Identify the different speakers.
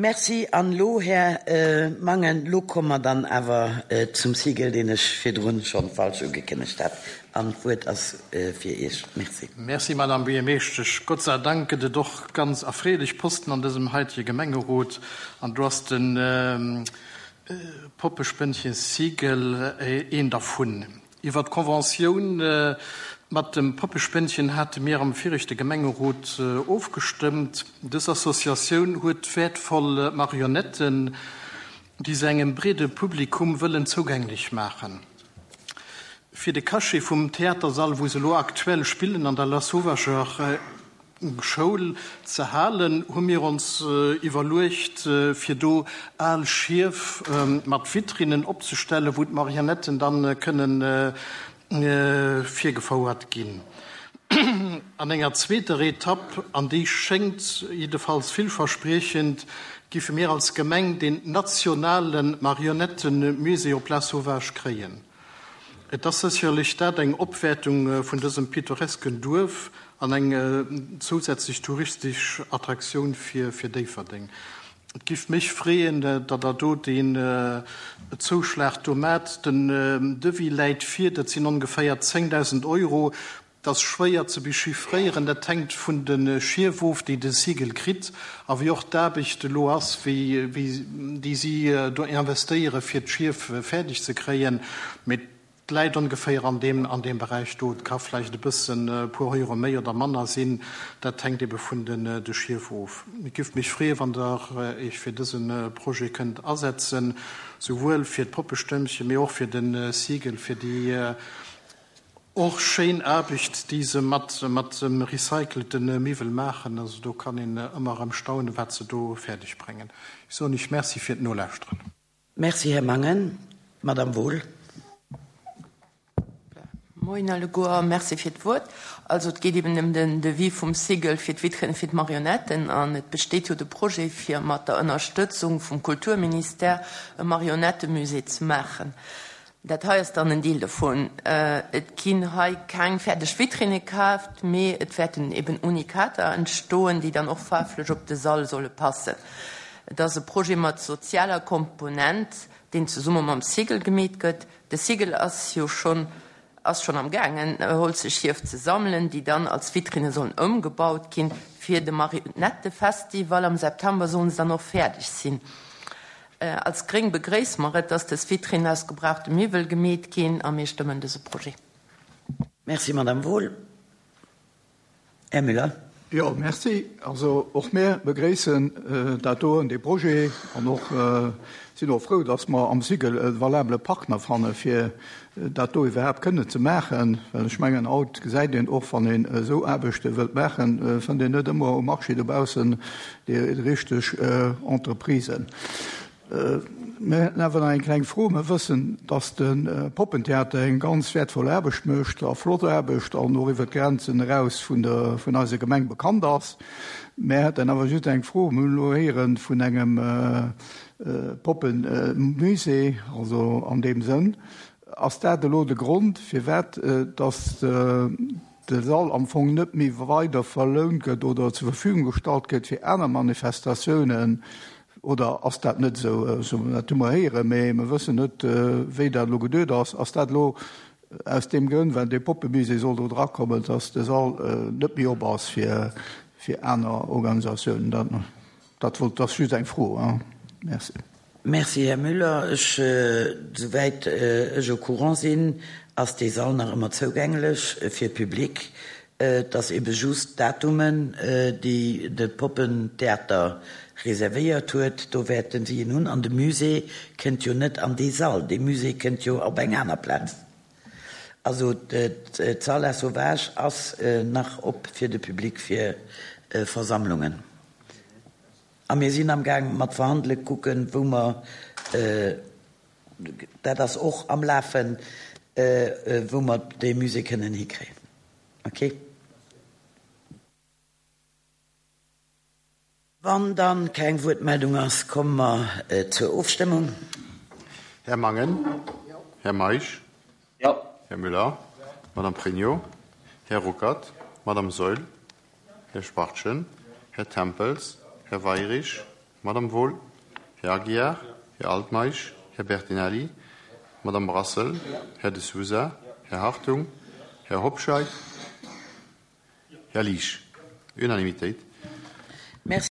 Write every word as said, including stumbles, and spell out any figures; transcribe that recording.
Speaker 1: Merci. An elo, Här Mangen, elo komme mer dann awer zum Sigel, deen ech virdrun schonn falsch ugekënnegt hat. An d'Wuert ass fir Iech. Merci.
Speaker 2: Merci, Madame Buergermeeschtesch. Gott sei Dank gëtt et och ganz erfreelech Posten an dësem heitege Gemengerot. An do ass de Poppespënnchen Sigel een dervun. Iwwer d'Conventioun mat dem Poppespënnchen hate mir am viregte Gemengerot ofgestëmmt. Dës Associatioun huet wäertvoll Marionetten, déi se engem breede Publikum wëllen zougänglech maachen. Fir de Cachet vum Theatersall, wou se elo aktuell spillen, an der Lasauvageur Schoul ze halen, hu mir ons iwwerluecht, fir do al Schief mat Vitrinnen opzestellen, wou d'Marionetten dann kënnen virgefouert ginn. An enger zweeter Etapp, an déi schéngt jiddefalls villverspriechend, giffe mir als Gemeng den nationale Marionettenmusée op Lasauvage kréien. Et ass sécherlech dat eng Opwäertung vun dësem pittoresken Duerf an eng zousätzlech touristesch Attraktioun fir fir Déifferdeng. Et giff mech freeën, datt Der do deen Zouschlag do maacht. Den Devis läit vir, dat sinn ongeféier zéngdausend Euro. Dat ass schwéier ze bechiffréieren, dat hänkt vun de Schief of, déi de Sigel kritt, a wéi och d'Aarbecht elo ass, wéi déi si do investéiere fir d'Schief fäerdeg ze kréien. Mee et läit ongeféier an deem, an deem Beräich do. Et ka vläicht e bëssen, e puer Euro méi oder manner sinn, dat hänkt ebe vun den de Schief of. Et giff mech freeën, wann Der Iech fir dëse Projet kënnt asetzen, souwuel fir d'Poppestëmmchen, mee och fir de Sigel, fir déi och schéin Aarbecht, déi se mat mat dem recycelte Miwwel maachen. Also do kann een ëmmer erëm staunen, wat se do fäerdeg bréngen. Ech soen Iech Merci fir d'Nolauschteren.
Speaker 1: Merci, Här Mangen. Madame Wohl.
Speaker 3: Moien alleguer, merci fir d'Wuert. Also et geet eben ëm den Devis vum Sigel fir d'Vitrine fir d'Marionetten an et besteet jo de Projet fir mat der Ënnerstëtzung vum Kulturministère e Marionettemusée ze maachen. Dat hei ass dann en Deel dovun. Et ginn hei keng fäerdeg Vitrinne kaaft, mee et wäerten eben Unikater entstoen, déi dann och faarflech op de Sall solle passen. Et ass e Projet mat sozialer Komponent, deen zesumme mam Sigel gemeet gëtt. De Sigel ass jo schonn ass schonn am gaangen, holzeg Schief ze sammelen, déi dann als Vitrinne sollen ëmgebaut ginn. Fir de Marionettefestival am September sollen se dann och fäerdeg sinn. Als Gréng begréisse mer et, dass dës Vitrinnen aus gebrauchte Miwwel gemeet ginn a mir stëmmen dëse Projet.
Speaker 1: Merci, Madame Wohl. Här Müller.
Speaker 4: Jo, merci. Also och mir begréissen dat doen, dee Projet, an och sinn och frou, dass mer am Sigel e valabele Partner fanne fir dat do iwwerhaapt kënnen ze maachen. Well ech mengen, haut gesäit een och, wann een esou Aarbechte wëllt maachen, fënnt een net ëmmer um Marché dobaussen déi richteg Entreprisen. Mir hätten awer nach eng kleng Fro. Mir wëssen, dass de Poppentheater eng ganz wäertvoll Aarbecht mécht a flott Aarbecht an och iwwer d'Grenzen eraus vun der, vun eiser Gemeng bekannt ass. Mir hätten awer just eng Fro. Mir hunn elo héiere vun engem Poppenmusée, also an deem Sënn. Ass dat elo de Grond, firwat dass de Sall am Fong net méi weider verlount gëtt oder zur Verfügung gestallt gëtt fir aner Manifestatiounen? Oder ass dat net esou? Dat hu mer héieren, mee mer wëssen net, wéi dat elo geduet ass. Ass dat elo aus deem Grënn, well dee Poppemusée soll do drakommen, dass de Sall net méi op ass fir, fir aner Organisatiounen? Dat, dat wollt, dat ass just eng Fro. Merci.
Speaker 1: Merci, Här Müller. Ech, souwäit ech au courant sinn, ass dee Sall nach ëmmer zougänglech fir Public. Et ass ebe just d'Datumen, déi de Poppentheater reservéiert huet, do wäerten si en hunn. An de Musée kënnt jo net an dee Sall, dee Musée kënnt jo op eng aner Plaz. Also d'Salle à Sauvage ass nach op fir de Public fir Versammlungen. A mir sinn amgaang mat verhandelen, kucken, wou mer, dat ass och am Lafen, wou mer dee Musée kënnen hikréien. Ok. Wann dann keng Wuertmeldung ass, komme mer zur Ofstëmmung.
Speaker 5: Här Mangen. Här Meisch.
Speaker 6: Jo.
Speaker 5: Här Müller. Madame Pregno. Här Ruckert. Madame Saeul. Här Spartchen. Här Tempels. Här Weyrich. Madame Wohl, Herr Aguiar, Herr Altmaisch, Herr Bertinelli, Madame Brassel, Herr de Souza, Herr Hartung, Herr Hobscheid, Herr Liesch. Unanimitéit.
Speaker 1: Merci.